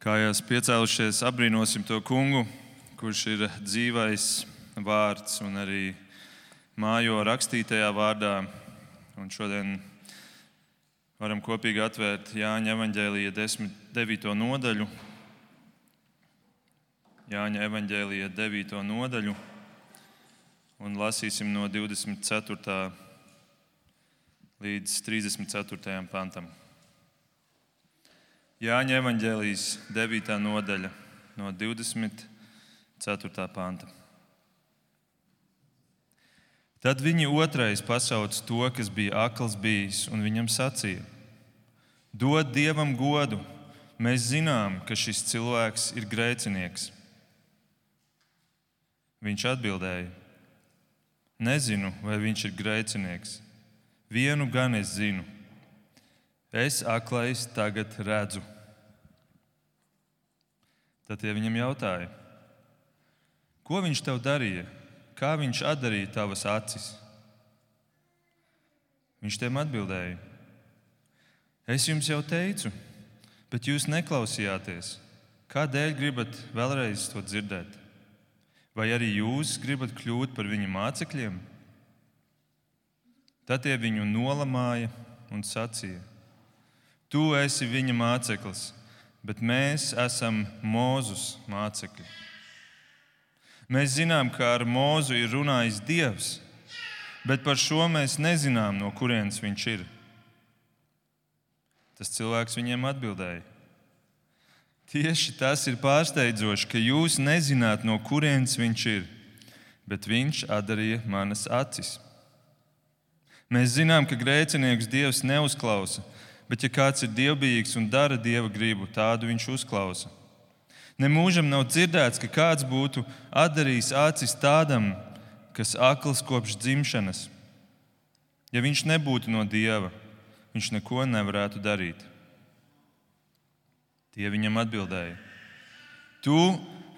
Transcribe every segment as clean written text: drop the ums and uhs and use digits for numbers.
Kājās piecēlušies, apbrīnosim to kungu, kurš ir dzīvais vārds un arī mājo rakstītajā vārdā. Un šodien varam kopīgi atvērt Jāņa evaņģēlija 9. nodaļu. Jāņa evaņģēlija 9. nodaļu un lasīsim no 24. līdz 34. pantam. Jāņa evaņģēlijas 9. nodaļa no 24. panta. Tad viņi otrais pasauc to, kas bija akls bijis, un viņam sacīja: Dod Dievam godu, mēs zinām, ka šis cilvēks ir grēcinieks. Viņš atbildēja: Nezinu, vai viņš ir grēcinieks. Vienu gan es zinu. Es aklais tagad redzu. Tad tie viņam jautāja: Ko viņš tev darīja? Kā viņš atdarīja tavas acis? Viņš tiem atbildēja: Es jums jau teicu, bet jūs neklausījāties. Kādēļ gribat vēlreiz to dzirdēt? Vai arī jūs gribat kļūt par viņa mācekļiem? Tad tie viņu nolamāja un sacīja: Tu esi viņa māceklis, bet mēs esam Mūzus mācekļi. Mēs zinām, ka ar Mūzu ir runājis Dievs, bet par šo mēs nezinām, no kurienes viņš ir. Tas cilvēks viņiem atbildēja: Tieši tas ir pārsteidzoši, ka jūs nezināt, no kurienes viņš ir, bet viņš atdarīja manas acis. Mēs zinām, ka grēcinieks Dievs neuzklausa, bet ja kāds ir dievbijīgs un dara Dieva gribu, tādu viņš uzklausa. Nemūžam nav dzirdēts, ka kāds būtu atdarījis acis tādam, kas akls kopš dzimšanas. Ja viņš nebūtu no Dieva, viņš neko nevarētu darīt. Tie viņam atbildēja: Tu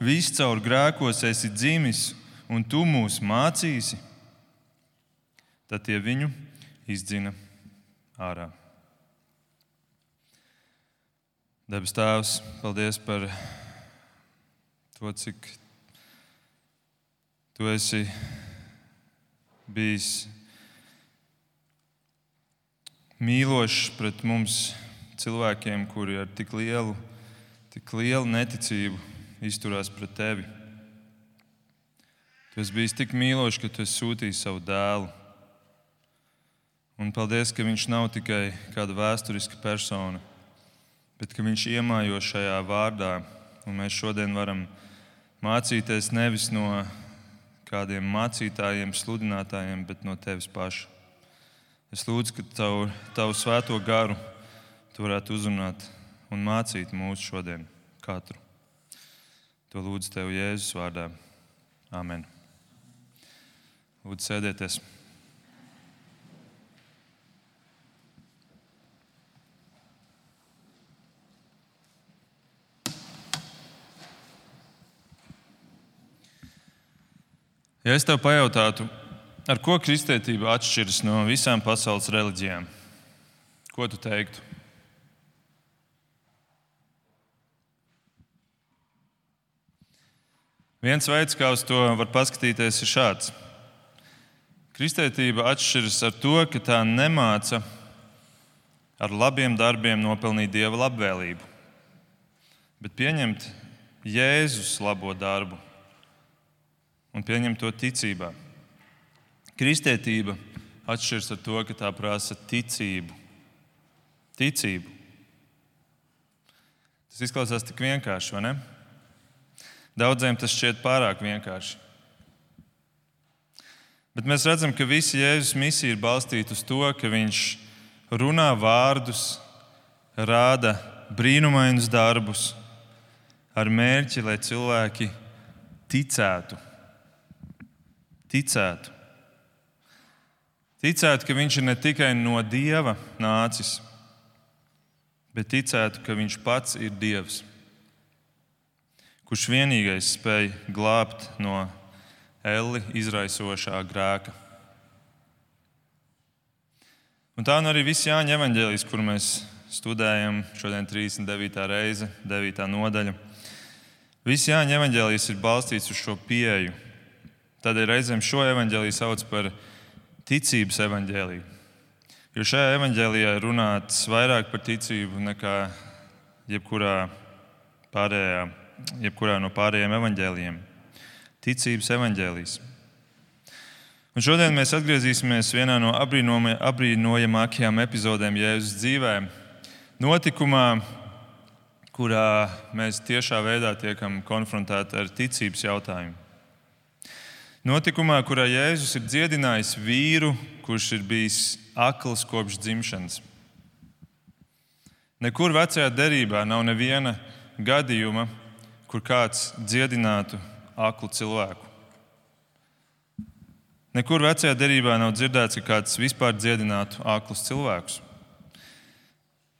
viscaur grēkos esi dzimis, un tu mūs mācīsi? Tad tie viņu izdzina ārā. Debes Tēvs, paldies par to, cik Tu esi bijis mīlošs pret mums cilvēkiem, kuri ar tik lielu neticību izturās pret Tevi. Tu esi bijis tik mīlošs, ka Tu esi sūtījis savu dēlu. Un paldies, ka viņš nav tikai kāda vēsturiska persona, bet ka viņš iemājo šajā vārdā. Un mēs šodien varam mācīties nevis no kādiem mācītājiem, sludinātājiem, bet no Tevis paša. Es lūdzu, ka Tavu svēto garu Tu varētu uzrunāt un mācīt mūs šodien katru. To lūdzu Tev Jēzus vārdā. Amen. Lūdzu, sēdieties. Ja es tev pajautātu, ar ko kristietība atšķiras no visām pasaules reliģijām, ko tu teiktu? Viens veids, kā uz to var paskatīties, ir šāds. Kristietība atšķiras ar to, ka tā nemāca ar labiem darbiem nopelnīt Dieva labvēlību, bet pieņemt Jēzus labo darbu un pieņemt to ticībā. Kristietība atšķiras ar to, ka tā prasa ticību. Ticību. Tas izklausās tik vienkārši, vai ne? Daudziem tas šķiet pārāk vienkārši. Bet mēs redzam, ka visa Jēzus misija ir balstīta uz to, ka viņš runā vārdus, rāda brīnumainus darbus ar mērķi, lai cilvēki ticētu. Ticētu, ka viņš ir ne tikai no Dieva nācis, bet ticētu, ka viņš pats ir Dievs, kurš vienīgais spēj glābt no elli izraisošā grēka. Un tā arī viss Jāņa evaņģēlijs, kur mēs studējam. Šodien 39. reize, 9. nodaļa. Viss Jāņa evaņģēlijs ir balstīts uz šo pieeju. Tādēļ reizēm šo evaņģēliju sauc par ticības evaņģēliju. Jo šajā evaņģēlijā ir runāts vairāk par ticību nekā jebkurā no pārējiem evaņģēlijiem. Ticības evaņģēlijs. Un šodien mēs atgriezīsimies vienā no apbrīnojamākajām epizodēm Jēzus dzīvē. Notikumā, kurā mēs tiešā veidā tiekam konfrontēti ar ticības jautājumu. Notikumā, kurā Jēzus ir dziedinājis vīru, kurš ir bijis akls kopš dzimšanas. Nekur vecajā derībā nav neviena gadījuma, kur kāds dziedinātu aklu cilvēku. Nekur vecajā derībā nav dzirdēts, ka kāds vispār dziedinātu aklus cilvēkus.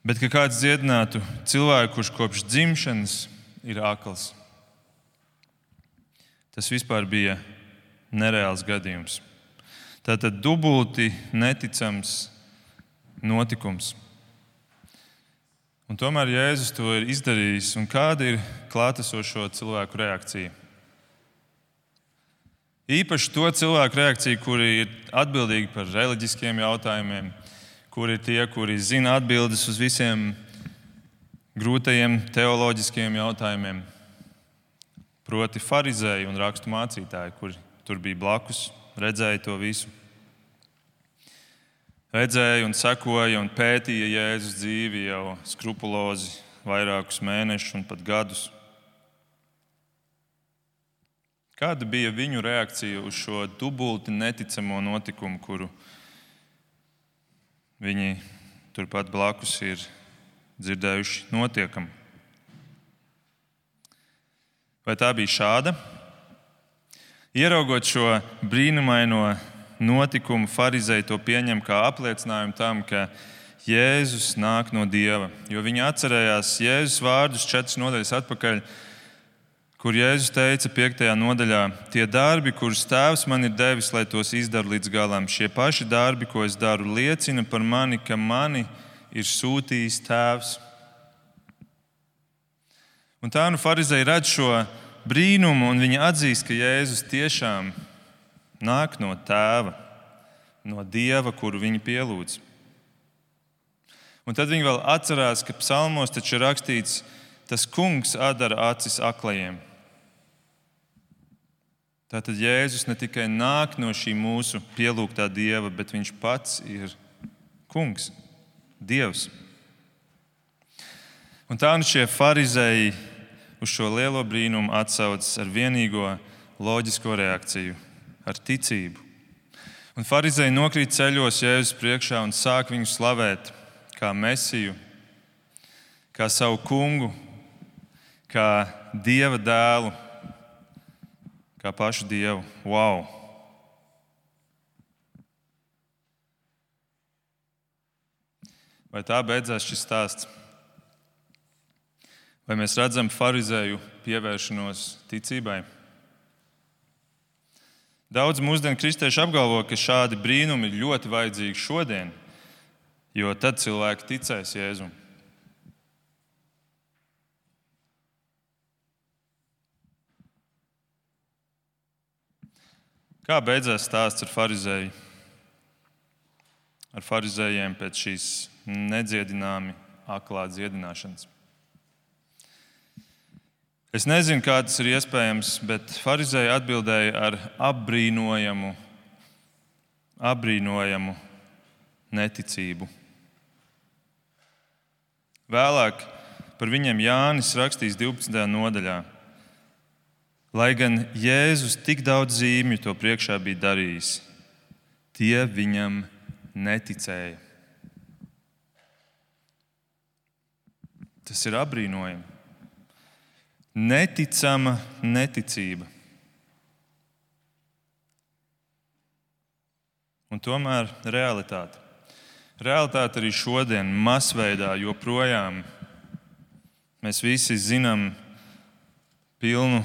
Bet ka kāds dziedinātu cilvēku, kurš kopš dzimšanas ir akls. Tas vispār bija nereāls gadījums. Tātad dubulti neticams notikums. Un tomēr Jēzus to ir izdarījis. Un kāda ir klātesošo cilvēku reakcija? Īpaši to cilvēku reakciju, kuri ir atbildīgi par reliģiskiem jautājumiem, kuri ir tie, kuri zina atbildes uz visiem grūtajiem teoloģiskiem jautājumiem. Proti farizēji un rakstu mācītāji, kuri tur bija blakus, redzēja to visu. Redzēja un sekoja un pētīja Jēzus dzīvi jau skrupulozi vairākus mēnešus un pat gadus. Kāda bija viņu reakcija uz šo dubulti neticamo notikumu, kuru viņi turpat blakus ir dzirdējuši notiekam? Vai tā bija šāda? Ieraugot šo brīnumaino notikumu, farizēji to pieņem kā apliecinājumu tam, ka Jēzus nāk no Dieva. Jo viņi atcerējās Jēzus vārdus 4 nodaļas atpakaļ, kur Jēzus teica 5. nodaļā: tie darbi, kurus Tēvs man ir devis, lai tos izdaru līdz galam, šie paši darbi, ko es daru, liecina par mani, ka mani ir sūtījis Tēvs. Un tā nu farizēji redz šo brīnumu, un viņi atzīst, ka Jēzus tiešām nāk no Tēva, no Dieva, kuru viņi pielūdz. Un tad viņi vēl atcerās, ka psalmos taču ir rakstīts: tas kungs atdara acis aklajiem. Tātad Jēzus ne tikai nāk no šī mūsu pielūgtā Dieva, bet viņš pats ir kungs, Dievs. Un tā nu šie farizēji uz šo lielo brīnumu atsaucas ar vienīgo loģisko reakciju, ar ticību. Un farizēji nokrīt ceļos Jēzus priekšā un sāk viņu slavēt kā Mesiju, kā savu kungu, kā Dieva dēlu, kā pašu Dievu. Wow! Vai tā beidzās šis stāsts? Vai mēs redzam farizēju pievēršanos ticībai? Daudz mūsdienu kristieši apgalvo, ka šādi brīnumi ir ļoti vajadzīgi šodien, jo tad cilvēki ticēs Jēzum. Kā beidzās stāsts ar farizējiem pēc šīs nedziedināmi aklā dziedināšanas? Es nezinu, kā tas ir iespējams, bet farizēji atbildēja ar apbrīnojamu neticību. Vēlāk par viņiem Jānis rakstīs 12. nodaļā. Lai gan Jēzus tik daudz zīmju to priekšā bija darījis, tie viņam neticēja. Tas ir apbrīnojami. Neticama neticība. Un tomēr realitāte. Realitāte arī šodien, masveidā, joprojām mēs visi zinām pilnu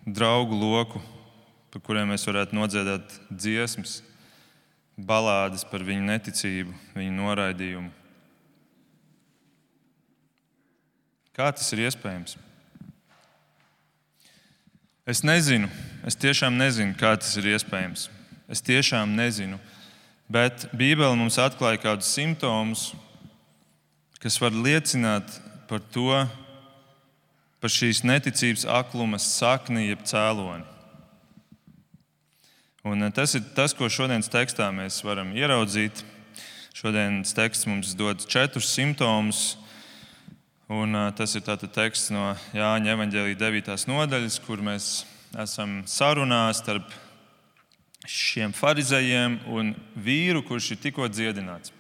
draugu loku, par kuriem mēs varētu nodziedāt dziesmas, balādes par viņu neticību, viņu noraidījumu. Kā tas ir iespējams? Es nezinu, es tiešām nezinu, kā tas ir iespējams. Es tiešām nezinu, bet Bībele mums atklāja kādus simptomus, kas var liecināt par to, par šīs neticības akluma sakni jeb cēloni. Un tas ir tas, ko šodienas tekstā mēs varam ieraudzīt. Šodienas teksts mums dod 4 simptomus, un tas ir tātad teksts no Jāņa evaņģēlija 9. nodaļas, kur mēs esam sarunā starp šiem farizejiem un vīru, kurš ir tikko dziedināts.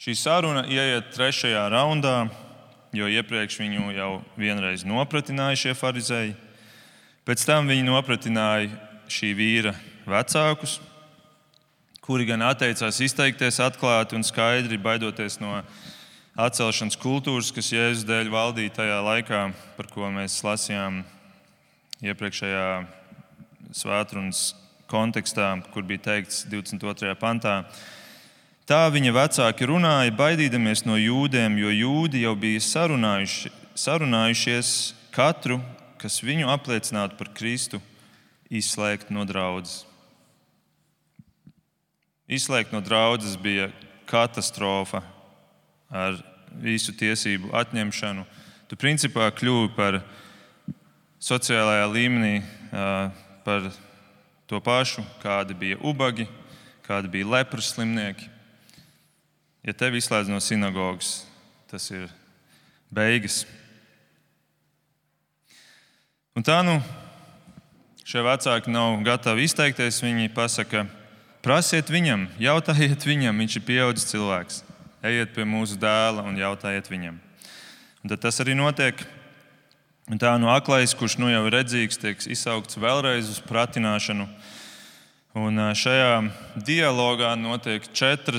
Šī saruna ieiet 3. raundā, jo iepriekš viņu jau vienreiz nopratināja šie farizeji. Pēc tam viņi nopratināja šī vīra vecākus, kuri gan atteicās izteikties atklāti un skaidri, baidoties no atcelšanas kultūras, kas Jēzus dēļ valdīja tajā laikā, par ko mēs lasījām iepriekšējā svētrunas kontekstā, kur bija teikts 22. pantā. Tā viņa vecāki runāja, baidīdamies no jūdiem, jo jūdi jau bija sarunājušies katru, kas viņu apliecinātu par Kristu, izslēgt no draudzes. Izslēgt no draudzes bija katastrofa ar visu tiesību atņemšanu. Tu principā kļuvi par sociālajā līmenī par to pašu, kādi bija ubagi, kādi bija lepras slimnieki. Ja tevi izslēdz no sinagogas, tas ir beigas. Un tā šie vecāki nav gatavi izteikties. Viņi pasaka, prasiet viņam, jautājiet viņam, viņš ir pieaudzis cilvēks. Ejiet pie mūsu dēla un jautājiet viņam. Un tad tas arī notiek. Un tā aklais, kurš jau ir redzīgs, tiek izsaukts vēlreiz uz pratināšanu. Un šajā dialogā notiek 4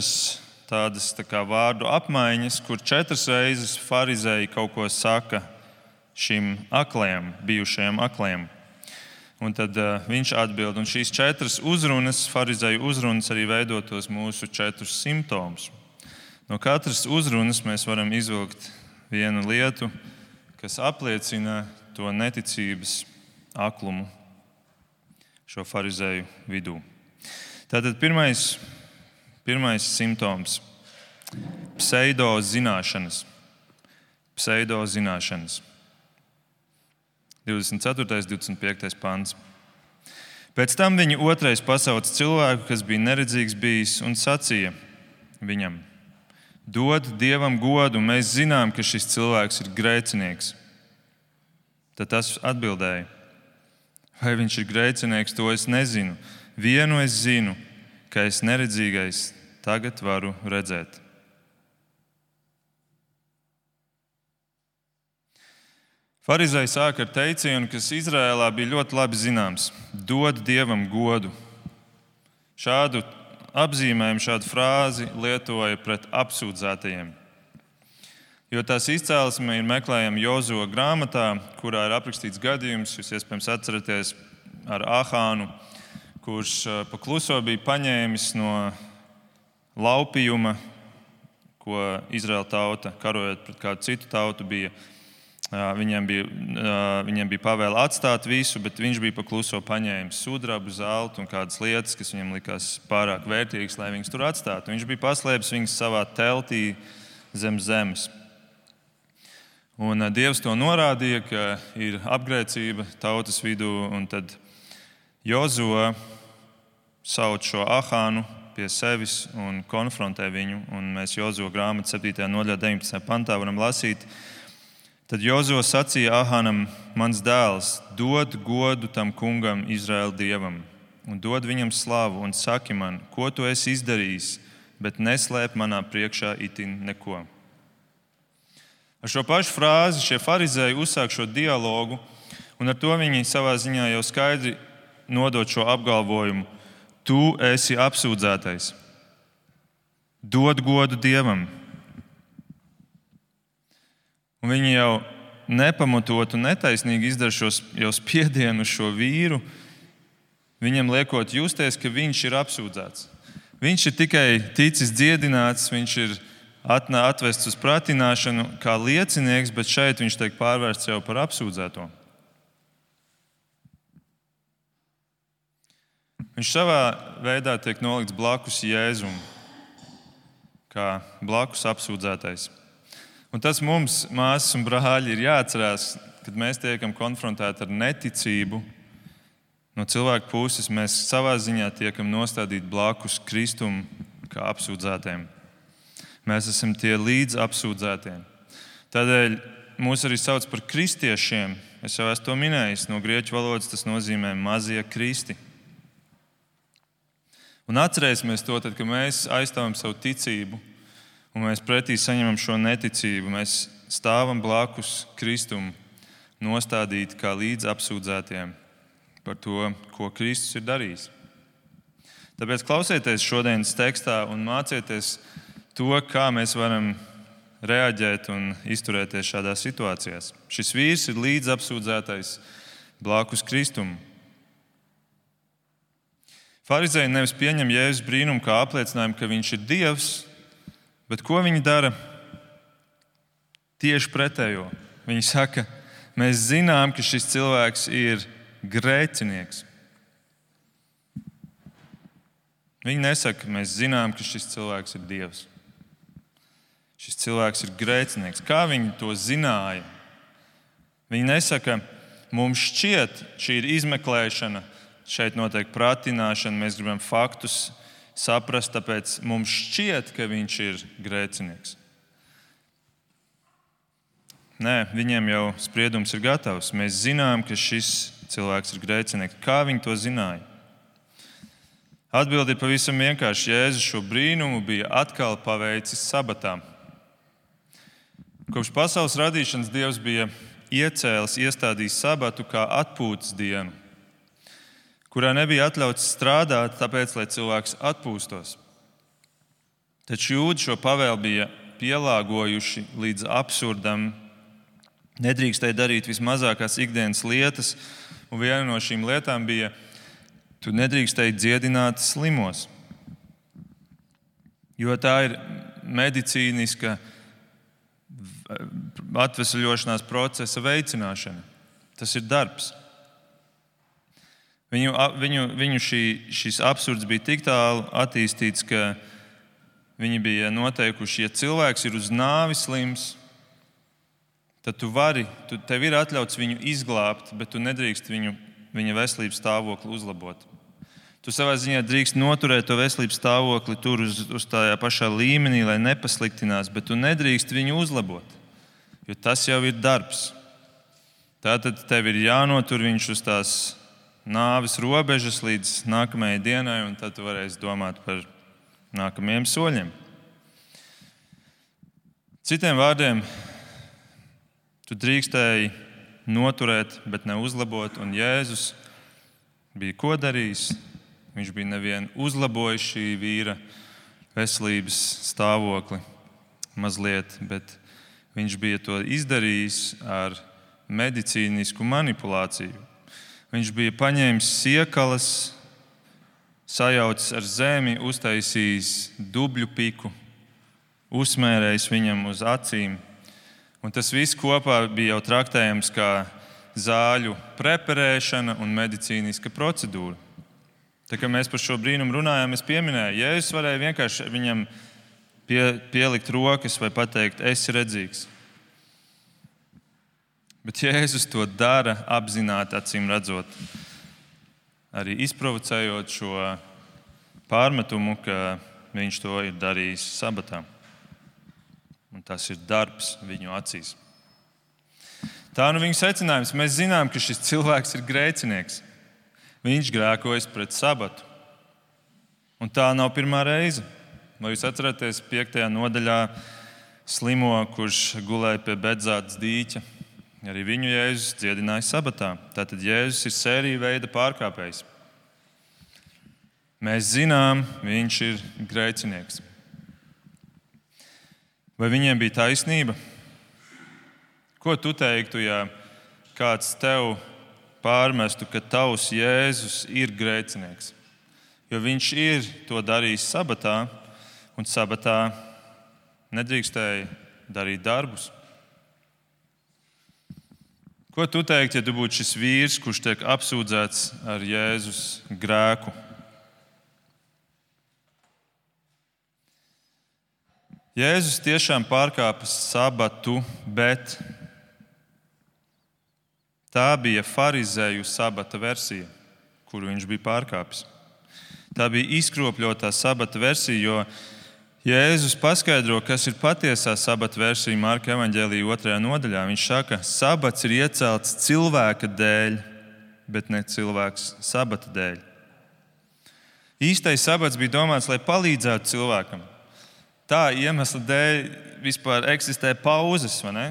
tādas vārdu apmaiņas, kur 4 reizes farizēji kaut ko saka šim aklajam, bijušajam aklajam. Un tad viņš atbild, un šīs 4 uzrunas, farizēju uzrunas, arī veido tos mūsu 4 simptomus. No katras uzrunas mēs varam izvilkt vienu lietu, kas apliecina to neticības aklumu šo farizēju vidū. Tātad pirmais simptoms - pseidozināšanas. Pseidozināšanas. 24. 25. pants. Pēc tam viņi otrais pasauca cilvēku, kas bija neredzīgs bijis, un sacīja viņam: Dod Dievam godu, mēs zinām, ka šis cilvēks ir grēcinieks. Tad tas atbildēja: Vai viņš ir grēcinieks, to es nezinu. Vienu es zinu, ka es neredzīgais tagad varu redzēt. Farizēji sāk ar teicienu, kas Izrēlā bija ļoti labi zināms: Dod Dievam godu. Šādu apzīmējumu, šādu frāzi lietoja pret apsūdzētajiem. Jo tās izcēlesme ir meklējama Jozuva grāmatā, kurā ir aprakstīts gadījums, jūs iespējams atceraties, ar Ahānu, kurš pa kluso bija paņēmis no laupījuma, ko Izraēla tauta, karojot pret kādu citu tautu, viņiem bija pavēle atstāt visu, bet viņš bija pa kluso paņēmis sudrabu, zeltu un kādas lietas, kas viņam likās pārāk vērtīgas, lai viņas tur atstātu. Viņš bija paslēpis viņas savā teltī zem zemes. Un Dievs to norādīja, ka ir apgrēcība tautas vidū, un tad Jozua sauc šo Ahānu pie sevis un konfrontē viņu. Un mēs Jozua grāmatu 7. nodaļā 19. pantā varam lasīt: Tad Jozua sacīja Ahānam: Mans dēls, dod godu tam kungam, Izraēla dievam, un dod viņam slavu, un saki man, ko tu esi izdarījis, bet neslēp manā priekšā itin neko. Ar šo pašu frāzi šie farizēji uzsāk šo dialogu, un ar to viņi savā ziņā jau skaidri nodod šo apgalvojumu: Tu esi apsūdzētais. Dod godu Dievam. Un viņi jau nepamatot un netaisnīgi izdara jau spiedienu uz šo vīru, viņam liekot justies, ka viņš ir apsūdzēts. Viņš ir tikai ticis dziedināts, viņš ir atvests uz pratināšanu kā liecinieks, bet šeit viņš tiek pārvērsts jau par apsūdzēto. Viņš savā veidā tiek nolikts blakus Jēzum, kā blakus apsūdzētais. Un tas mums, māsas un brāļi, ir jāatcerās, kad mēs tiekam konfrontēti ar neticību. No cilvēka puses mēs savā ziņā tiekam nostādīti blakus Kristum kā apsūdzētiem. Mēs esam tie līdz apsūdzētiem. Tādēļ mūs arī sauc par kristiešiem. Es jau esmu to minējis. No grieķu valodas tas nozīmē mazie kristi. Un atcerēsimies to, tad, kad mēs aizstāvam savu ticību un mēs pretī saņemam šo neticību, mēs stāvam blakus Kristum, nostādīti kā līdz apsūdzētiem par to, ko Kristus ir darījis. Tāpēc klausieties šodienas tekstā un mācieties to, kā mēs varam reaģēt un izturēties šādās situācijās. Šis vīrs ir līdz apsūdzētais blakus Kristum. Farizēji nevis pieņem Jēzus brīnumu kā apliecinājumu, ka viņš ir Dievs, bet ko viņi dara? Tieši pretējo. Viņi saka, mēs zinām, ka šis cilvēks ir grēcinieks. Viņi nesaka, mēs zinām, ka šis cilvēks ir Dievs. Šis cilvēks ir grēcinieks. Kā viņi to zināja? Viņi nesaka, mums šķiet, šī ir izmeklēšana, šeit notiek pratināšana, mēs gribam faktus saprast, tāpēc mums šķiet, ka viņš ir grēcinieks. Nē, viņiem jau spriedums ir gatavs. Mēs zinām, ka šis cilvēks ir grēcinieks. Kā viņi to zināja? Atbilde ir pavisam vienkārši. Jēzus šo brīnumu bija atkal paveicis sabatā. Kopš pasaules radīšanas Dievs bija iestādījis sabatu kā atpūtas dienu, kurā nebija atļauts strādāt, tāpēc, lai cilvēks atpūstos. Taču jūdi šo pavēli bija pielāgojuši līdz absurdam. Nedrīkstēja darīt vismazākās ikdienas lietas, un viena no šīm lietām bija, tu nedrīkstēji dziedināt slimos. Jo tā ir medicīniska atvesaļošanās procesa veicināšana. Tas ir darbs. Viņu šis absurds bija tik tālu attīstīts, ka viņi bija noteikuši, ja cilvēks ir uz nāvi slims, tad tev ir atļauts viņu izglābt, bet tu nedrīkst viņa veselības stāvokli uzlabot. Tu savā ziņā drīkst noturēt to veselības stāvokli tur uz tajā pašā līmenī, lai nepasliktinās, bet tu nedrīkst viņu uzlabot, jo tas jau ir darbs. Tātad tev ir jānotur viņš uz tās nāves robežas līdz nākamajai dienai, un tad tu varēsi domāt par nākamajiem soļiem. Citiem vārdiem, tu drīkstēji noturēt, bet ne uzlabot, un Jēzus bija ko darījis? Viņš bija nevien uzlabojis šī vīra veselības stāvokli mazliet, bet viņš bija to izdarījis ar medicīnisku manipulāciju. Viņš bija paņēmis siekalas, sajaucis ar zemi, uztaisījis dubļu piku, uzsmērējis viņam uz acīm. Un tas viss kopā bija jau traktējams kā zāļu preparēšana un medicīniska procedūra. Tā kā mēs par šo brīnumu runājām, es pieminēju, Jēzus varēja vienkārši viņam pielikt rokas vai pateikt, esi redzīgs. Bet Jēzus to dara apzināti, acīm redzot, arī izprovocējot šo pārmetumu, ka viņš to ir darījis sabatā. Un tas ir darbs viņu acīs. Tā nu viņa secinājums. Mēs zinām, ka šis cilvēks ir grēcinieks. Viņš grēkojas pret sabatu. Un tā nav pirmā reize. Vai jūs atceraties 5. nodaļā slimo, kurš gulēja pie Bedzātas dīķa? Arī viņu Jēzus dziedināja sabatā. Tātad Jēzus ir sērija veida pārkāpējs. Mēs zinām, viņš ir grēcinieks. Vai viņiem bija taisnība? Ko tu teiktu, ja kāds tev pārmestu, ka tavs Jēzus ir grēcinieks? Jo viņš ir to darījis sabatā, un sabatā nedrīkstēja darīt darbus. Ko tu teiktu, ja tu būtu šis vīrs, kurš tiek apsūdzēts ar Jēzus grēku? Jēzus tiešām pārkāpa sabatu, bet tā bija farizēju sabata versija, kuru viņš bija pārkāpis. Tā bija izkropļotā sabata versija, jo Jēzus paskaidro, kas ir patiesā sabata versija Marka evaņģēlija 2. nodaļā. Viņš saka, ka sabats ir iecelts cilvēka dēļ, bet ne cilvēks sabata dēļ. Īstais sabats bija domāts, lai palīdzētu cilvēkam. Tā iemesla dēļ vispār eksistē pauzes, vai ne?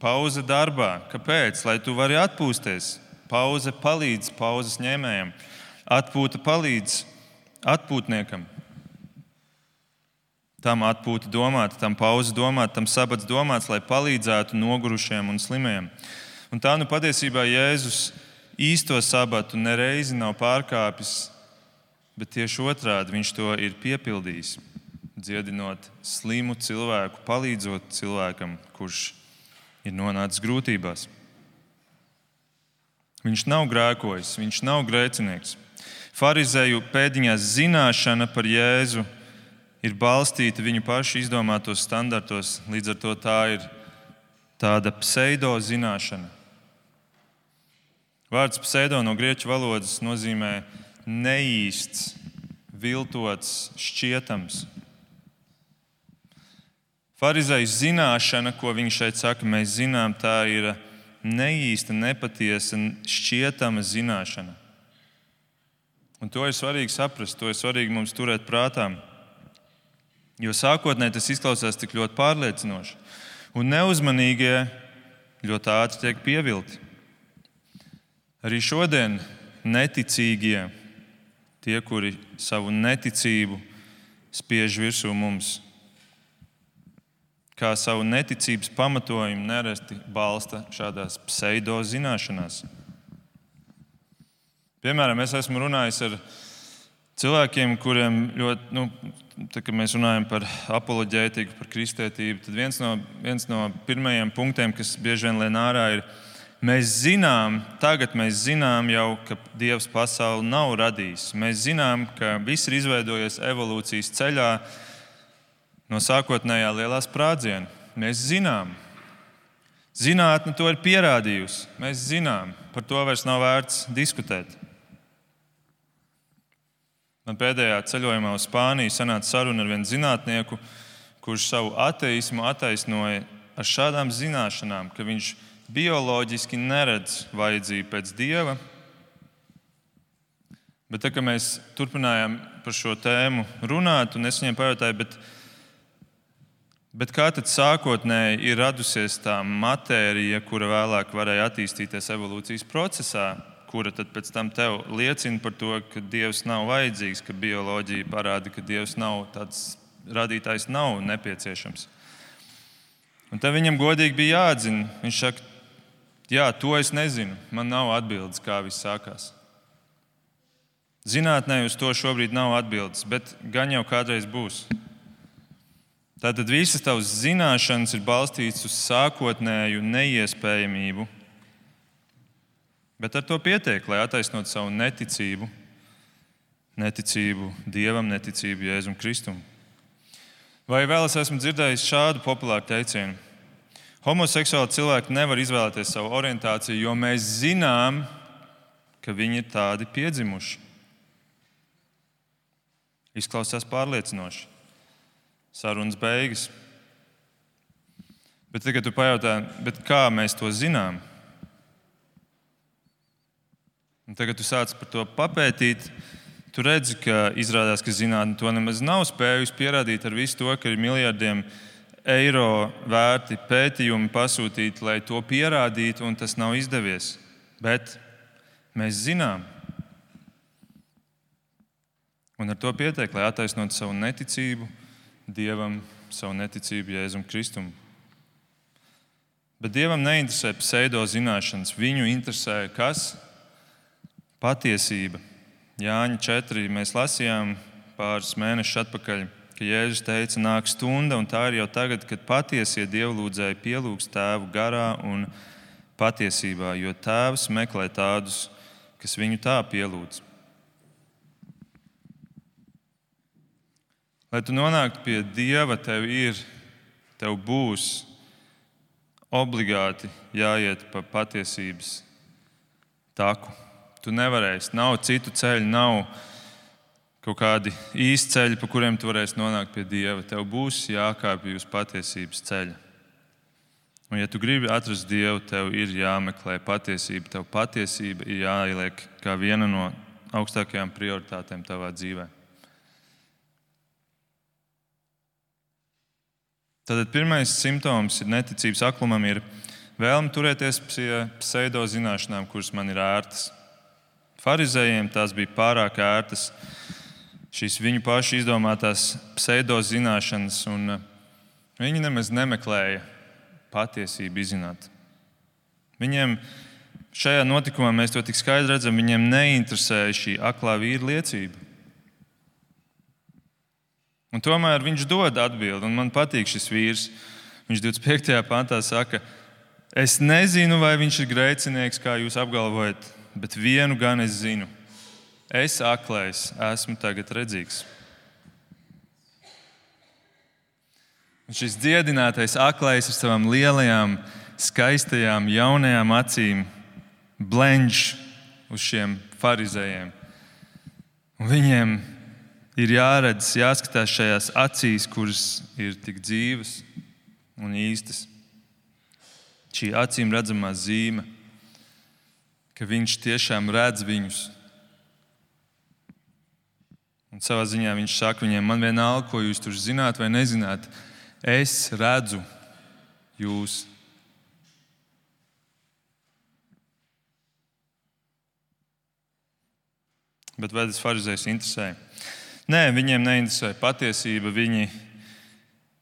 Pauze darbā. Kāpēc? Lai tu vari atpūsties. Pauze palīdz pauzes ņēmējam. Atpūta palīdz atpūtniekam. Tam atpūta domāta, tam pauze domāta, tam sabats domāts, lai palīdzētu nogurušiem un slimiem. Un tā patiesībā Jēzus īsto sabatu nereizi nav pārkāpis, bet tieši otrādi viņš to ir piepildījis, dziedinot slimu cilvēku, palīdzot cilvēkam, kurš ir nonācis grūtībās. Viņš nav grēkojis, viņš nav grēcinieks. Farizēju pēdiņās zināšana par Jēzu ir balstīta viņu pašu izdomātos standartos, līdz ar to tā ir tāda pseido zināšana. Vārds pseido no grieķu valodas nozīmē neīsts, viltots, šķietams. Farizēju zināšana, ko viņš šeit saka, mēs zinām, tā ir neīsta, nepatiesa, šķietama zināšana. Un to ir svarīgi saprast, to ir svarīgi mums turēt prātā. Jo sākotnēji tas izklausās tik ļoti pārliecinoši. Un neuzmanīgie ļoti ātri tiek pievilti. Arī šodien neticīgie, tie, kuri savu neticību spiež virsū mums, kā savu neticības pamatojumu nereti balsta šādās pseido zināšanās. Piemēram, es esmu runājis ar cilvēkiem, kuriem ļoti, tā, kad mēs runājam par apoloģētiku, par kristētību, tad viens no pirmajiem punktiem, kas bieži vien lien ārā, ir, tagad mēs zinām jau, ka Dievs pasauli nav radījis. Mēs zinām, ka viss ir izveidojies evolūcijas ceļā no sākotnējā lielā sprādziena. Mēs zinām. Zinātne to ir pierādījusi. Mēs zinām. Par to vairs nav vērts diskutēt. Man pēdējā ceļojumā uz Spāniju sanāca saruna ar vienu zinātnieku, kurš savu ateismu attaisnoja ar šādām zināšanām, ka viņš bioloģiski neredz vajadzību pēc Dieva. Bet tā, kad mēs turpinājām par šo tēmu runāt, un es viņiem pajautāju, bet kā tad sākotnēji ir radusies tā matērija, kura vēlāk varēja attīstīties evolūcijas procesā, kura tad pēc tam tev liecina par to, ka Dievs nav vajadzīgs, ka bioloģija parāda, ka Dievs nav tāds radītājs, nav nepieciešams. Un tad viņam godīgi bija jāatzina. Viņš saka, jā, to es nezinu, man nav atbildes, kā viss sākās. Zinātnē uz to šobrīd nav atbildes, bet gan jau kādreiz būs. Tātad visas tavas zināšanas ir balstītas uz sākotnēju neiespējamību, bet ar to pietiek, lai attaisnotu savu neticību Dievam, neticību Jēzum Kristum. Vai vēl es esmu dzirdējis šādu populāru teicienu? Homoseksuāli cilvēki nevar izvēlēties savu orientāciju, jo mēs zinām, ka viņi ir tādi piedzimuši. Izklausās pārliecinoši. Sarunas beigas. Bet tagad tu pajautā, bet kā mēs to zinām? Un tagad tu sāc par to papētīt. Tu redzi, ka izrādās, ka zinātne to nemaz nav spējusi pierādīt ar visu to, ka ir miljardiem eiro vērti pētījumi pasūtīti, lai to pierādītu, un tas nav izdevies. Bet mēs zinām. Un ar to pietiek, lai attaisnotu savu neticību Dievam, savu neticību Jēzum Kristum. Bet Dievam neinteresē pseido zināšanas. Viņu interesē kas? Patiesība. Jāņa 4 mēs lasījām pāris mēnešus atpakaļ. ka Jēzus teica, nāk stunda, un tā ir jau tagad, kad patiesie dievlūdzēji pielūgs Tēvu garā un patiesībā, jo Tēvs meklē tādus, kas viņu tā pielūdz. Lai tu nonāktu pie Dieva, tev būs obligāti jāiet pa patiesības taku. Tu nevarēsi, nav citu ceļu, nav kaut kādi īsti ceļi, pa kuriem tu varēsi nonākt pie Dieva. Tev būs jākāpj uz patiesības ceļa. Un ja tu gribi atrast Dievu, tev ir jāmeklē patiesība. Tev patiesība ir jāieliek kā viena no augstākajām prioritātēm tavā dzīvē. Tātad pirmais simptoms ir neticības aklumam, ir vēlme turēties pie pseido zināšanām, kuras man ir ērtas. Farizējiem tās bija pārāk ērtas, šīs viņu pašu izdomātās pseido zināšanas, un viņi nemaz nemeklēja patiesību izzināt. Viņiem šajā notikumā, mēs to tik skaidri redzam, viņiem neinteresēja šī aklā vīra liecība. Un tomēr viņš dod atbildi, un man patīk šis vīrs. Viņš 25. pantā saka, es nezinu, vai viņš ir grēcinieks, kā jūs apgalvojat, bet vienu gan es zinu. Es aklais esmu tagad redzīgs. Un šis dziedinātais aklais ar savām lielajām, skaistajām, jaunajām acīm blenž uz šiem farizējiem. Un viņiem ir jāredz, jāskatās šajās acīs, kuras ir tik dzīves un īstas. Šī acīm redzamā zīme, ka viņš tiešām redz viņus. Un savā ziņā viņš saka viņiem, man vienalga, ko jūs tur zināt vai nezināt, es redzu jūs. Bet vai tas farizējs interesē? Nē, viņiem neinteresē patiesība. Viņi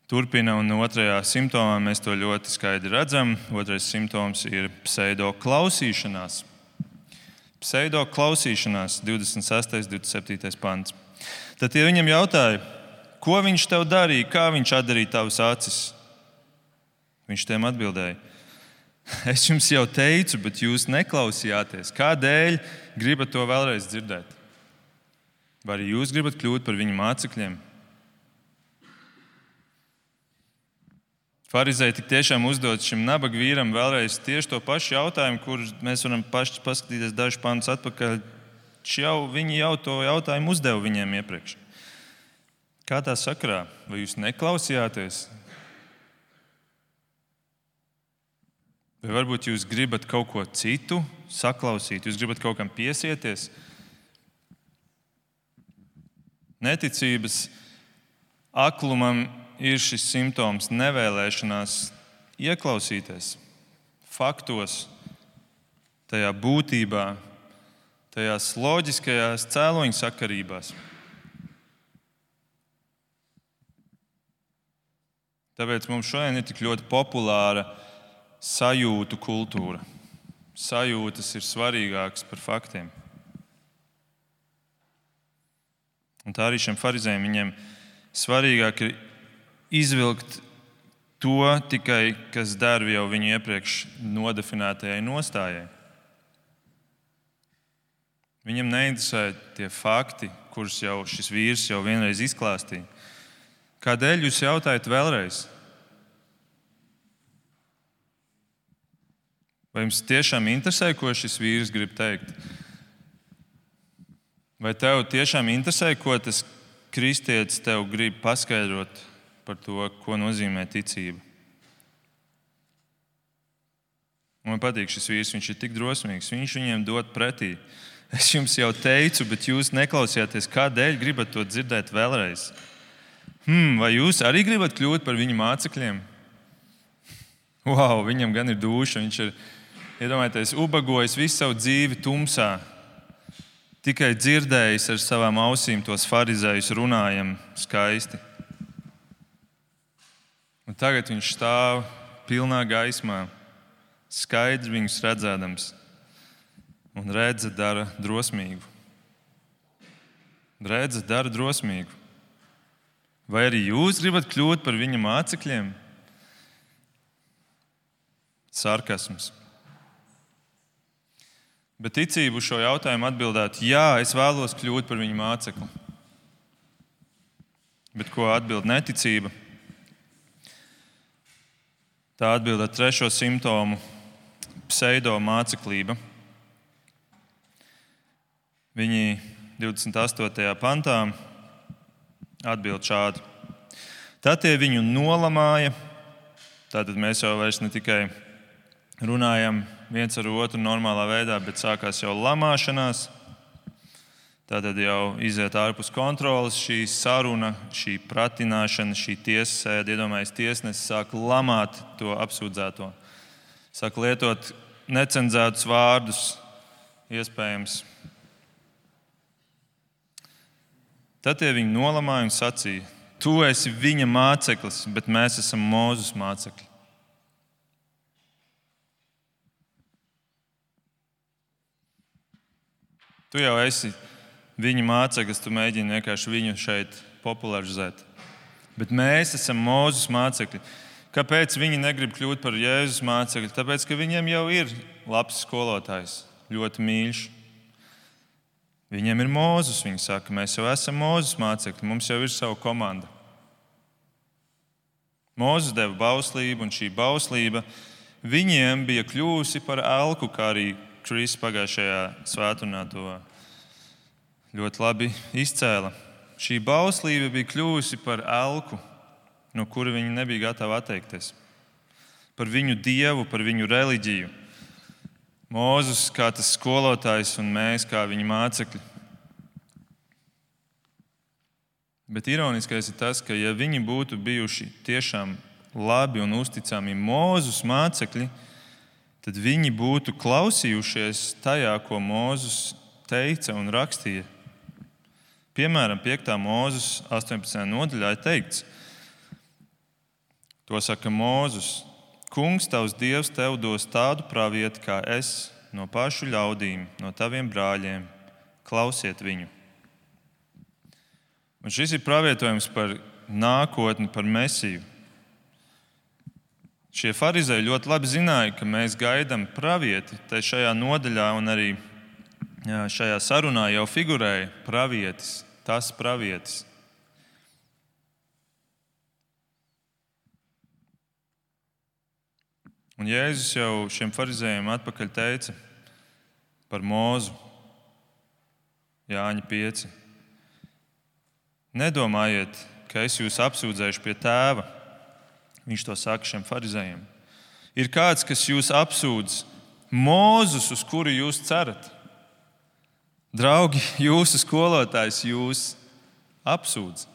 turpina, un otrajā simptomā mēs to ļoti skaidri redzam. Otrais simptoms ir pseido klausīšanās. Pseido klausīšanās, 26. 27. pants. Tad tie viņam jautāja, ko viņš tev darīja, kā viņš atdarīja tavas acis? Viņš tiem atbildēja, es jums jau teicu, bet jūs neklausījāties. Kādēļ gribat to vēlreiz dzirdēt? Vai arī jūs gribat kļūt par viņu mācekļiem? Farizēji tik tiešām uzdod šim nabaga vīram vēlreiz tieši to pašu jautājumu, kur mēs varam paši paskatīties dažus pantus atpakaļ. Viņi jau to jautājumu uzdeva viņiem iepriekš. Kā tā sakarā? Vai jūs neklausījāties? Vai varbūt jūs gribat kaut ko citu saklausīt? Jūs gribat kaut kam piesieties? Neticības aklumam ir šis simptoms nevēlēšanās ieklausīties faktos, tajā būtībā, tajās loģiskajās cēloņu sakarībās. Tāpēc mums šodien ir tik ļoti populāra sajūtu kultūra. Sajūtas ir svarīgākas par faktiem. Un tā arī šiem farizējiem viņiem svarīgāk ir izvilkt to tikai, kas der jau viņu iepriekš nodefinētajai nostājai. Viņam neinteresē tie fakti, kurus jau šis vīrs jau vienreiz izklāstīja. Kādēļ jūs jautājat vēlreiz? Vai jums tiešām interesē, ko šis vīrs grib teikt? Vai tev tiešām interesē, ko tas kristietis tev grib paskaidrot par to, ko nozīmē ticība? Man patīk šis vīrs, viņš ir tik drosmīgs. Viņš viņiem dod pretī. Es jums jau teicu, bet jūs neklausījāties. Kādēļ gribat to dzirdēt vēlreiz? Vai jūs arī gribat kļūt par viņu mācekļiem? Wow, viņam gan ir dūša. Viņš ir, iedomājieties, ubagojis visu savu dzīvi tumsā. Tikai dzirdējis ar savām ausīm tos farizējus runājam skaisti. Un tagad viņš stāv pilnā gaismā, skaidrs viņus redzēdams, un redze dara drosmīgu. Redze dara drosmīgu. Vai arī jūs gribat kļūt par viņa mācekļiem? Sarkasms. Bet ticība uz šo jautājumu atbildētu: jā, es vēlos kļūt par viņa mācekli. Bet ko atbild neticība? Tā atbild ar trešo simptomu - pseido māceklība. Viņi 28. pantā atbild šādi: tad tie viņu nolamāja. Tātad mēs jau vairs ne tikai runājam viens ar otru normālā veidā, bet sākās jau lamāšanās. Tātad jau iziet ārpus kontrolas šī saruna, šī pratināšana, šī tiesasēde. Iedomājieties, tiesnesis sāk lamāt to apsūdzēto. Sāk lietot necenzētus vārdus, iespējams. Tad tie viņu nolamāja un sacīja: tu esi viņa māceklis, bet mēs esam Mūzes mācekļi. Tu jau esi viņa māceklis, tu mēģini vienkārši viņu šeit popularizēt. Bet mēs esam Mūzes mācekļi. Kāpēc viņi negrib kļūt par Jēzus mācekļi? Tāpēc, ka viņiem jau ir labs skolotājs, ļoti mīļš. Viņiem ir Mūzes, viņi saka, mēs jau esam Mūzes mācekļi, mums jau ir sava komanda. Mūzes deva bauslību, un šī bauslība viņiem bija kļūsi par elku, kā arī Kris pagājušajā svētdienā to ļoti labi izcēla. Šī bauslība bija kļūsi par elku, no kura viņi nebija gatavi atteikties. Par viņu dievu, par viņu reliģiju. Mūzes kā tas skolotājs un mēs kā viņa mācekļi. Bet ironiskais ir tas, ka ja viņi būtu bijuši tiešām labi un uzticami Mūzes mācekļi, tad viņi būtu klausījušies tajā, ko Mūzes teica un rakstīja. Piemēram, 5. Mūzes 18. nodaļā ir teikts, to saka Mūzes: Kungs, tavs Dievs, tev dos tādu pravieti kā es, no pašu ļaudīm, no taviem brāļiem. Klausiet viņu. Un šis ir pravietojums par nākotni, par Mesiju. Šie farizēji ļoti labi zināja, ka mēs gaidām pravieti. Te šajā nodaļā un arī šajā sarunā jau figurēja pravietis, tas pravietis. Un Jēzus jau šiem farizējiem atpakaļ teica par Mūzu, Jāņa 5. Nedomājiet, ka es jūs apsūdzēšu pie tēva. Viņš to saka šiem farizējiem. Ir kāds, kas jūs apsūdz, Mūzes, uz kuru jūs cerat. Draugi, jūsu skolotājs jūs apsūdz.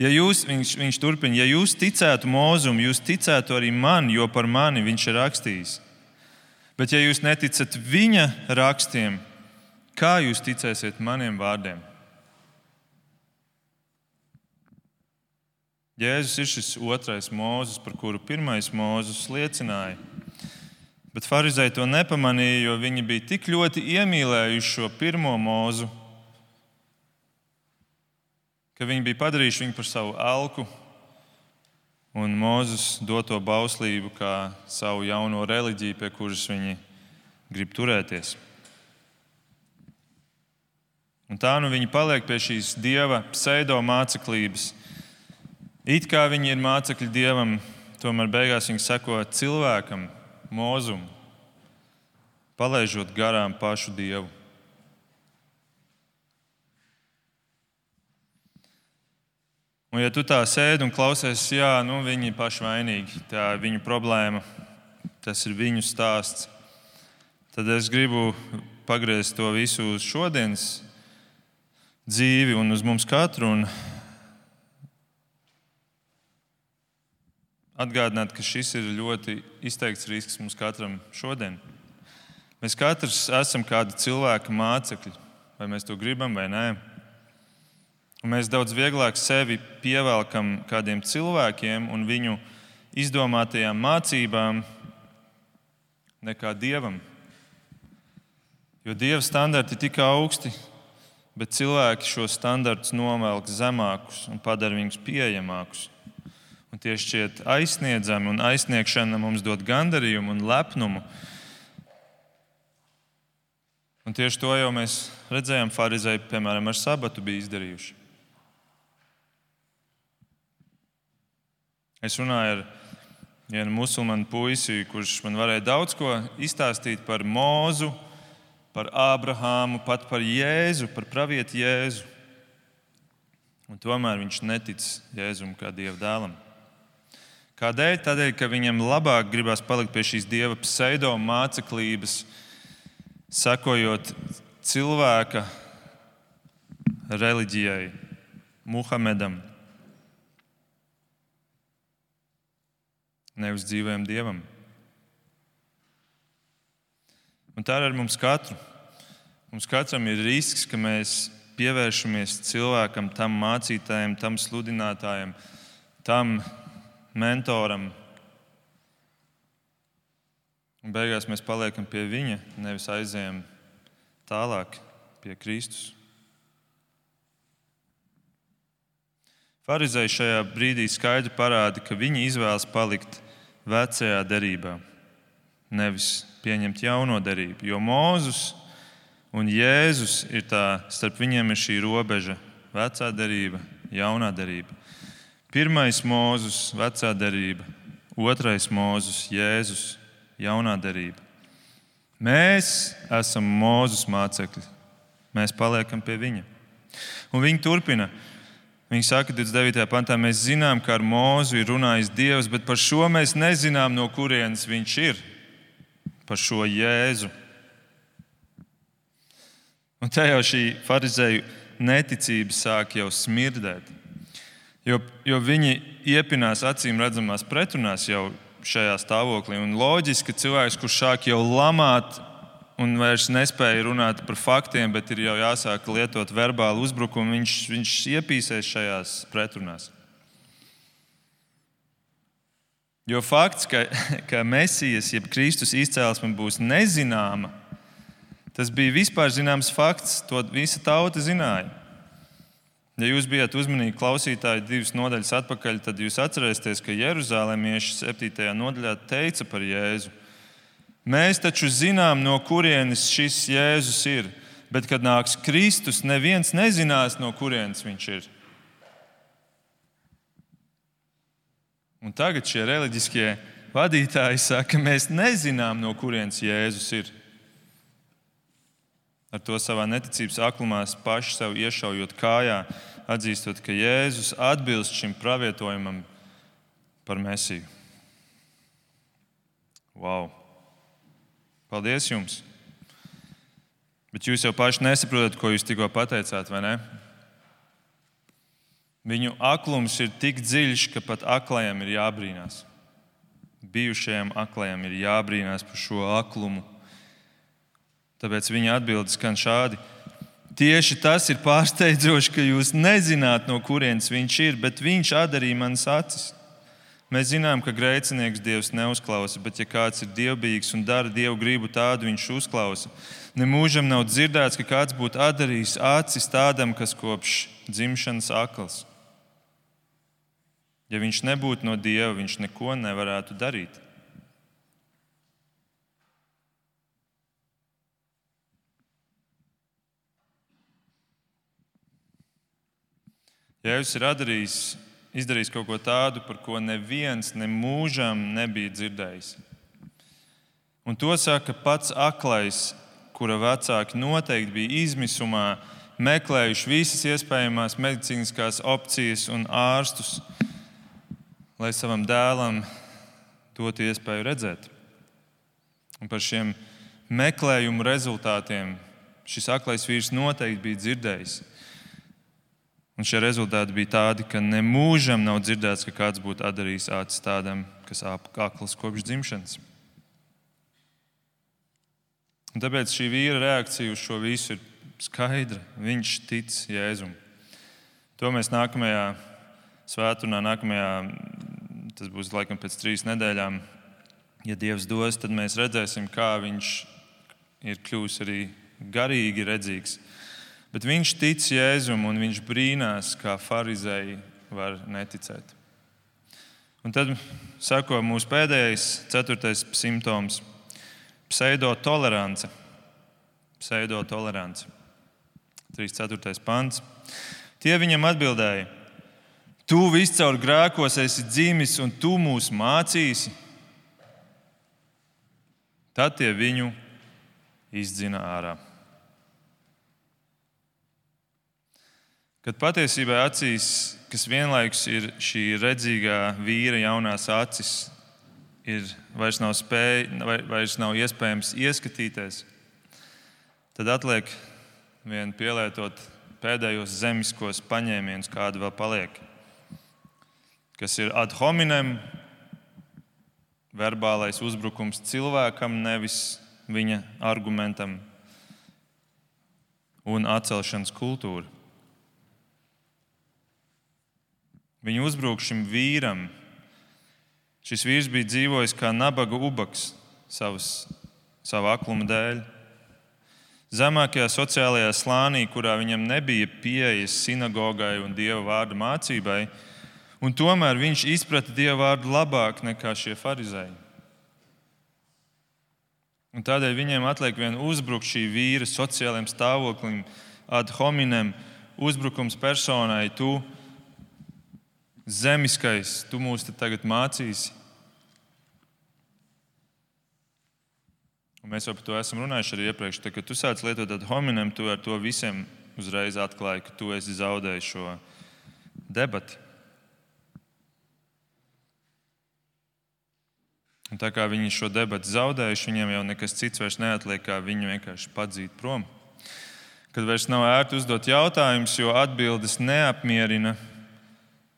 Ja jūs, viņš turpina, ja jūs ticētu Mūzum, jūs ticētu arī man, jo par mani viņš ir rakstījis. Bet ja jūs neticat viņa rakstiem, kā jūs ticēsiet maniem vārdiem? Jēzus ir šis otrais Mūzes, par kuru pirmais Mūzes liecināja. Bet farizēji to nepamanīja, jo viņi bija tik ļoti iemīlējuši šo pirmo Mūzu, ka viņi bija padarījuši viņu par savu elku un Mūzes doto bauslību kā savu jauno reliģiju, pie kuras viņi grib turēties. Un tā nu viņi paliek pie šīs dieva pseido māceklības. It kā viņi ir mācekļi dievam, tomēr beigās viņi seko cilvēkam, Mūzum, palaižot garām pašu dievu. Un ja tu tā sēdi un klausies, jā, viņi ir paši vainīgi, tā ir viņu problēma, tas ir viņu stāsts, tad es gribu pagriezt to visu uz šodienas dzīvi un uz mums katru un atgādināt, ka šis ir ļoti izteikts risks mums katram šodien. Mēs katrs esam kāda cilvēka mācekļi, vai mēs to gribam vai nē. Un mēs daudz vieglāk sevi pievelkam kādiem cilvēkiem un viņu izdomātajām mācībām nekā Dievam. Jo Dieva standarti ir tik augsti, bet cilvēki šo standartus novelk zemākus un padara viņus pieejamākus. Un tie šķiet aizsniedzami, un aizsniegšana mums dod gandarījumu un lepnumu. Un tieši to jau mēs redzējām, farizēji, piemēram, ar sabatu bija izdarījuši. Es runāju ar vienu musulmanu puisi, kurš man varēja daudz ko izstāstīt par Mūzu, par Ābrahāmu, pat par Jēzu, par pravieti Jēzu. Un tomēr viņš netic Jēzum kā Dieva dēlam. Kādēļ? Tādēļ, ka viņam labāk gribās palikt pie šīs Dieva pseido māceklības, sekojot cilvēka reliģijai, Muhamedam, nevis dzīvajam Dievam. Un tā ir ar mums katru. Mums katram ir risks, ka mēs pievēršamies cilvēkam, tam mācītājam, tam sludinātājam, tam mentoram. Un beigās mēs paliekam pie viņa, nevis aizējam tālāk pie Kristus. Farizēji šajā brīdī skaidri parāda, ka viņi izvēlas palikt vecajā derībā, nevis pieņemt jauno derību. Jo Mūzes un Jēzus ir tā, starp viņiem ir šī robeža, vecā derība, jaunā derība. Pirmais Mūzes, vecā derība, otrais Mūzes, Jēzus, jaunā derība. Mēs esam Mūzes mācekļi. Mēs paliekam pie viņa. Un viņi turpina. Viņi saka, 29. pantā, mēs zinām, ka ar Mūzu ir runājis Dievs, bet par šo mēs nezinām, no kurienes viņš ir. Par šo Jēzu. Un te jau šī farizēju neticība sāk jau smirdēt. Jo viņi iepinās acīm redzamās pretrunās jau šajā stāvoklī. Un loģiski, ka cilvēks, kurš sāk jau lamāt un vairs nespēja runāt par faktiem, bet ir jau jāsāk lietot verbālu uzbrukumu, viņš iepīsēs šajās pretrunās. Jo fakts, ka Mesijas, jeb Kristus izcēlesme būs nezināma, tas bija vispār zināms fakts, to visa tauta zināja. Ja jūs bijat uzmanīgi klausītāji 2 nodaļas atpakaļ, tad jūs atcerēsieties, ka jeruzālēmieši 7. nodaļā teica par Jēzu. Mēs taču zinām, no kurienes šis Jēzus ir, bet kad nāks Kristus, neviens nezinās, no kurienes viņš ir. Un tagad šie reliģiskie vadītāji saka, ka mēs nezinām, no kurienes Jēzus ir. Ar to savā neticības aklumā paši sev iešaujot kājā, atzīstot, ka Jēzus atbilst šim pravietojumam par Mesiju. Wow! Paldies jums! Bet jūs jau paši nesaprotat, ko jūs tikko pateicāt, vai ne? Viņu aklums ir tik dziļš, ka pat aklajam ir jābrīnās. Bijušajam aklajam ir jābrīnās par šo aklumu. Tāpēc viņa atbildes skan šādi. Tieši tas ir pārsteidzoši, ka jūs nezināt, no kurienes viņš ir, bet viņš atdarīja manas acis. Mēs zinām, ka grēcinieks Dievs neuzklausa, bet ja kāds ir dievbijīgs un dara Dievu gribu, tādu viņš uzklausa. Nemūžam nav dzirdēts, ka kāds būtu atdarījis acis tādam, kas kopš dzimšanas akls. Ja viņš nebūtu no Dieva, viņš neko nevarētu darīt. Jēzus ir izdarījis kaut ko tādu, par ko neviens nemūžam nebija dzirdējis. Un to saka pats aklais, kura vecāki noteikti bija izmisumā, meklējuši visas iespējamās medicīniskās opcijas un ārstus, lai savam dēlam dotu iespēju redzēt. Un par šiem meklējumu rezultātiem šis aklais vīrs noteikti bija dzirdējis. Un šie rezultāti bija tādi, ka nemūžam nav dzirdēts, ka kāds būtu atdarījis acis tādam, kas akls kopš dzimšanas. Un tāpēc šī vīra reakcija uz šo visu ir skaidra. Viņš tic Jēzum. To mēs nākamajā svētdienā, tas būs laikam pēc 3 nedēļām, ja Dievs dos, tad mēs redzēsim, kā viņš ir kļuvis arī garīgi redzīgs. Bet viņš tic Jēzum un viņš brīnās, kā farizēji var neticēt. Un tad sako mūsu pēdējais, 4. simptoms - pseidotolerance. Pseidotolerance. 3.4. pants. Tie viņam atbildēja: Tu viscaur grēkos esi dzimis un tu mūs mācīsi. Tad tie viņu izdzina ārā. Kad patiesībā acīs, kas vienlaikus ir šī redzīgā vīra jaunās acis, vairs nav iespējams ieskatīties, tad atliek vien pielietot pēdējos zemiskos paņēmienus, kādi vēl paliek, kas ir ad hominem, verbālais uzbrukums cilvēkam, nevis viņa argumentam, un atcelšanas kultūra. Viņa uzbruk šim vīram. Šis vīrs bija dzīvojis kā nabaga ubaks savu akluma dēļ. Zemākajā sociālajā slānī, kurā viņam nebija pieejas sinagogai un Dieva vārda mācībai, un tomēr viņš izprata Dieva vārdu labāk nekā šie farizēji. Un tādēļ viņiem atliek vien uzbrukt šī vīra sociālajiem stāvoklim, ad hominem, uzbrukums personai. Tu zemiskais, tu mūs tagad mācīsi. Un mēs jau par to esam runājuši arī iepriekš. Tad, kad tu sāc lietot ad hominem, tu ar to visiem uzreiz atklāji, ka tu esi zaudējis šo debati. Un tā kā viņi šo debatu zaudējuši, viņiem jau nekas cits vairs neatliek, kā viņu vienkārši padzīt prom. Kad vairs nav ērti uzdot jautājumus, jo atbildes neapmierina,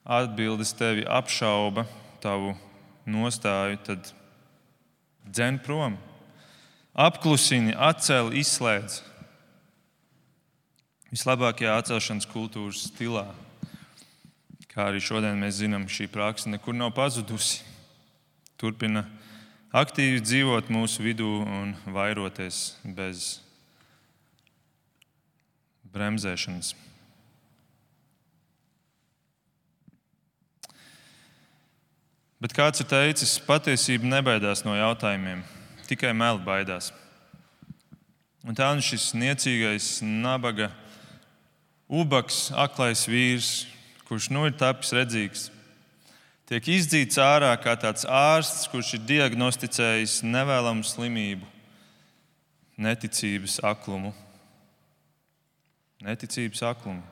atbildes tevi apšauba, tavu nostāju, tad dzen prom. Apklusini, atcel, izslēdz. Vislabākajā atcelšanas kultūras stilā, kā arī šodien mēs zinām, šī praksa nekur nav pazudusi. Turpina aktīvi dzīvot mūsu vidū un vairoties bez bremzēšanas. Bet kāds ir teicis, patiesība nebaidās no jautājumiem, tikai meli baidās. Un tā nu šis niecīgais, nabaga, ubaks, aklais vīrs, kurš nu ir tapis redzīgs, tiek izdzīts ārā kā tāds ārsts, kurš ir diagnosticējis nevēlamu slimību, neticības aklumu. Neticības aklumu.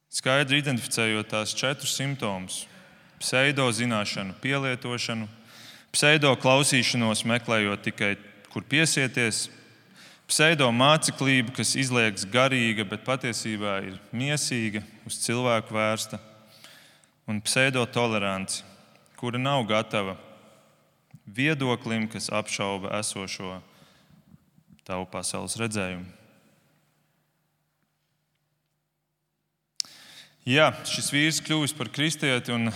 Skaidri identificējot tās 4 simptomus - pseido zināšanu pielietošanu, pseido klausīšanos meklējot tikai, kur piesieties, pseido māceklību, kas izliekas garīga, bet patiesībā ir miesīga, uz cilvēku vērsta, un pseidotoleranci, kura nav gatava viedoklim, kas apšauba esošo tavu pasaules redzējumu. Jā, šis vīrs kļuvis par kristieti, un,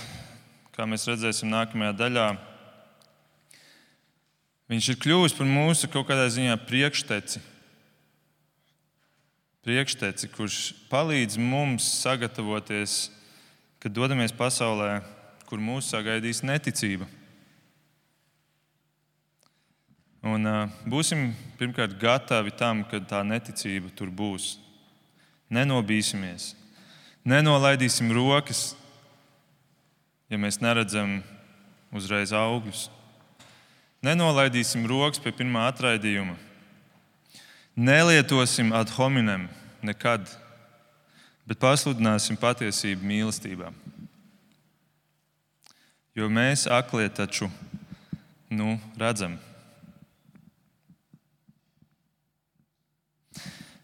kā mēs redzēsim nākamajā daļā, viņš ir kļuvis par mūsu kaut kādā ziņā priekšteci, kurš palīdz mums sagatavoties, kad dodamies pasaulē, kur mūs sagaidīs neticība. Un būsim pirmkārt gatavi tam, kad tā neticība tur būs. Nenobīsimies, nenolaidīsim rokas, ja mēs neredzam uzreiz augļus. Nenolaidīsim rokas pie pirmā atraidījuma. Nelietosim ad hominem nekad, bet pasludināsim patiesību mīlestībā. Jo mēs aklie taču redzam.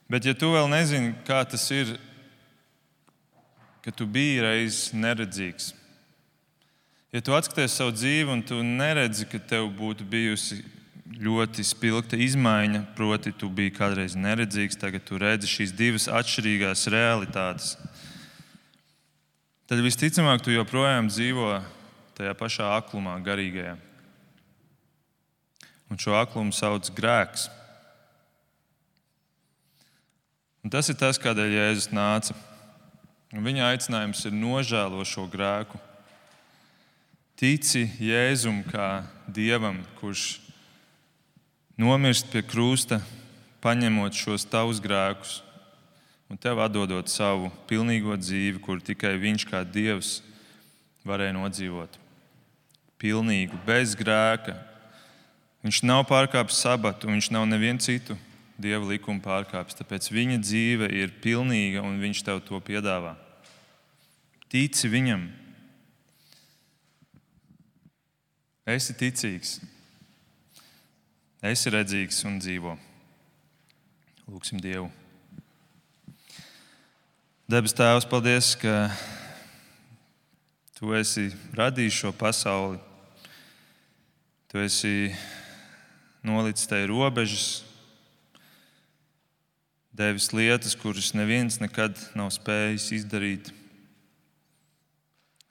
Bet ja tu vēl nezini, kā tas ir, ka tu biji reiz neredzīgs, ja tu atskaties savu dzīvi un tu neredzi, ka tev būtu bijusi ļoti spilgta izmaiņa, proti tu biji kādreiz neredzīgs, tagad tu redzi šīs divas atšķirīgās realitātes, tad visticamāk tu joprojām dzīvo tajā pašā aklumā, garīgajā. Un šo aklumu sauc grēks. Un tas ir tas, kādēļ Jēzus nāca. Un viņa aicinājums ir nožēlo šo grēku. Tici Jēzum kā Dievam, kurš nomirst pie krusta, paņemot šos tavus grēkus un tev atdodot savu pilnīgo dzīvi, kur tikai viņš kā Dievs varēja nodzīvot. Pilnīgu, bez grēka. Viņš nav pārkāpis sabatu, viņš nav nevienu citu Dieva likumu pārkāpis, tāpēc viņa dzīve ir pilnīga un viņš tev to piedāvā. Tici viņam. Esi ticīgs. Esi redzīgs un dzīvo. Lūksim Dievu. Debes Tēvs, paldies, ka Tu esi radījis šo pasauli. Tu esi nolicis tai robežas, devis lietas, kuras neviens nekad nav spējis izdarīt.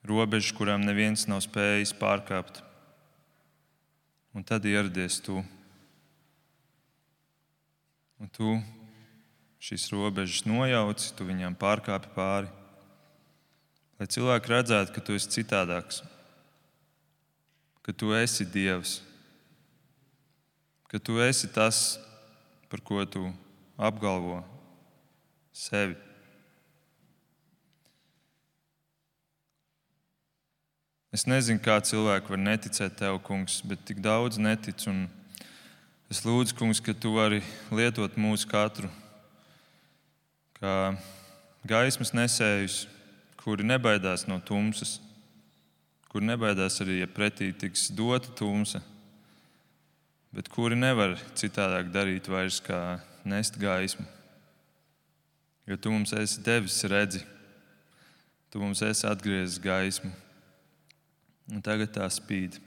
Robežas, kurām neviens nav spējis pārkāpt. Un tad ieradies Tu. Un Tu šīs robežas nojauci, Tu viņām pārkāpi pāri. Lai cilvēki redzētu, ka Tu esi citādāks, ka Tu esi Dievs, ka Tu esi tas, par ko Tu apgalvo sevi. Es nezinu, kā cilvēki var neticēt Tev, Kungs, bet tik daudz netic. Un es lūdzu, Kungs, ka Tu vari lietot mūsu katru kā gaismas nesējus, kuri nebaidās no tumsas, kuri nebaidās arī, ja pretī tiks dota tumsa, bet kuri nevar citādāk darīt vairs kā nest gaismu. Jo Tu mums esi devis redzi, Tu mums esi atgriezis gaismu. Un tagad tā spīd.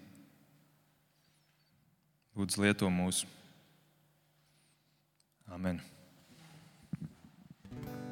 Lūdzu, lieto mūs. Amen.